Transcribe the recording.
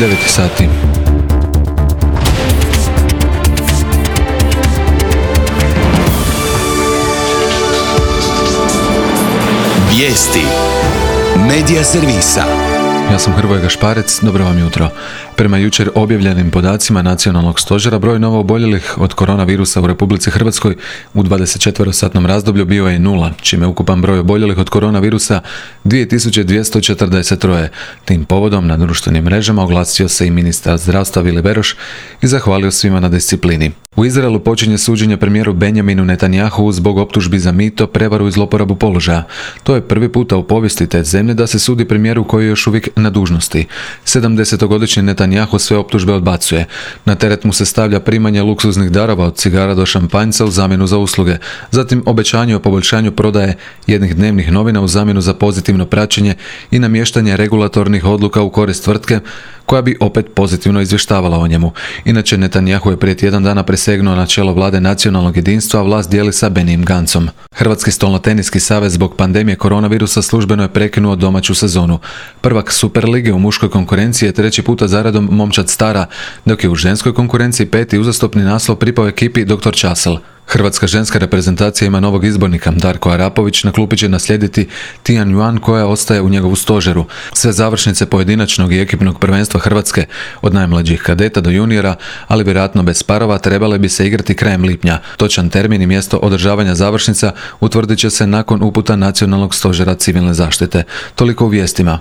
9 sati. Vijesti Medija servisa. Ja sam Hrvoje Gašparec, dobro vam jutro. Prema jučer objavljenim podacima Nacionalnog stožera, broj novooboljelih od koronavirusa u Republici Hrvatskoj u 24-satnom razdoblju bio je 0, čime ukupan broj oboljelih od koronavirusa 2243. Tim povodom na društvenim mrežama oglasio se i ministar zdravstva Vili Beroš i zahvalio svima na disciplini. U Izraelu počinje suđenje premijeru Benjaminu Netanjahu zbog optužbi za mito, prevaru i zloporabu položaja. To je prvi puta u povijesti te zemlje da se sudi premijeru koji je još uvijek na dužnosti. 70-godišnji Netanjahu sve optužbe odbacuje. Na teret mu se stavlja primanje luksuznih darova od cigara do šampanjca u zamjenu za usluge. Zatim obećanje o poboljšanju prodaje jednih dnevnih novina u zamjenu za pozitivno praćenje i namještanje regulatornih odluka u korist tvrtke koja bi opet pozitivno izvještavala o njemu. Inače, Netanjahu je prije tjedan dana presegnuo na čelo vlade nacionalnog jedinstva, a vlast dijeli sa Benijim Gancom. Hrvatski stolnoteniski savez zbog pandemije koronavirusa službeno je prekinuo domaću sezonu. Prvak Superlige u muškoj konkurenciji je treći puta zaredom momčad Stara, dok je u ženskoj konkurenciji peti uzastopni naslov pripao ekipi Dr. Časel. Hrvatska ženska reprezentacija ima novog izbornika. Darko Arapović na klupi će naslijediti Tian Yuan koja ostaje u njegovu stožeru. Sve završnice pojedinačnog i ekipnog prvenstva Hrvatske, od najmlađih kadeta do juniora, ali vjerojatno bez parova, trebale bi se igrati krajem lipnja. Točan termin i mjesto održavanja završnica utvrdit će se nakon uputa Nacionalnog stožera civilne zaštite. Toliko u vijestima.